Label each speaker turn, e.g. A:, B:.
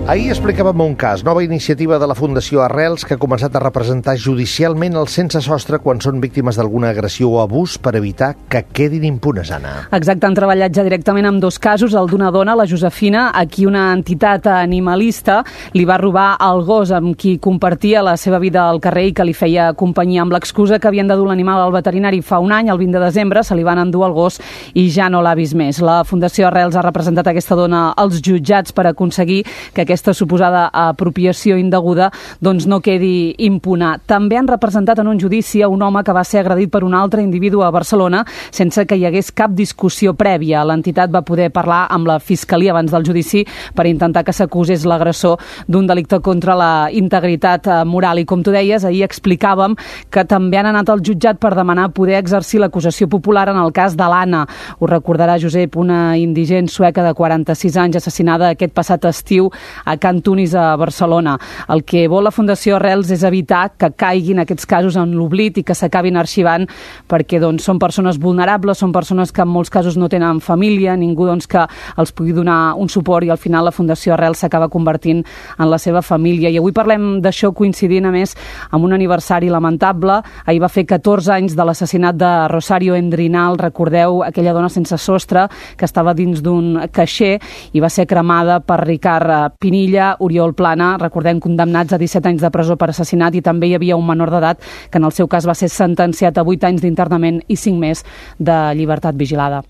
A: Ahir explicàvem un cas, nova iniciativa de la Fundació Arrels que ha començat a representar judicialment els sense sostre quan són víctimes d'alguna agressió o abús per evitar que quedin impunes, Anna.
B: Exacte, han treballat ja directament amb dos casos, el d'una dona, la Josefina, a qui una entitat animalista li va robar el gos amb qui compartia la seva vida al carrer i que li feia companyia, amb l'excusa que havien de dur l'animal al veterinari fa un any, el 20 de desembre, se li van endur el gos i ja no l'ha vist més. La Fundació Arrels ha representat aquesta dona als jutjats per aconseguir que aquesta suposada apropiació indeguda doncs no quedi impune. També han representat en un judici a un home que va ser agredit per un altre individu a Barcelona sense que hi hagués cap discussió prèvia. L'entitat va poder parlar amb la Fiscalia abans del judici per intentar que s'acusés l'agressor d'un delicte contra la integritat moral. I com tu deies, ahir explicàvem que també han anat al jutjat per demanar poder exercir l'acusació popular en el cas de l'Anna. Ho recordarà, Josep, una indigent sueca de 46 anys assassinada aquest passat estiu a Can Tunis, a Barcelona. El que vol la Fundació Arrels és evitar que caiguin aquests casos en l'oblit i que s'acabin arxivant perquè són persones vulnerables, són persones que en molts casos no tenen família, ningú que els pugui donar un suport i al final la Fundació Arrels s'acaba convertint en la seva família. I avui parlem d'això coincidint a més amb un aniversari lamentable. Ahir va fer 14 anys de l'assassinat de Rosario Endrinal, recordeu, aquella dona sense sostre que estava dins d'un caixer i va ser cremada per Ricard Pinilla, Oriol Plana, recordem, condemnats a 17 anys de presó per assassinat, i també hi havia un menor d'edat que en el seu cas va ser sentenciat a 8 anys d'internament i 5 més de llibertat vigilada.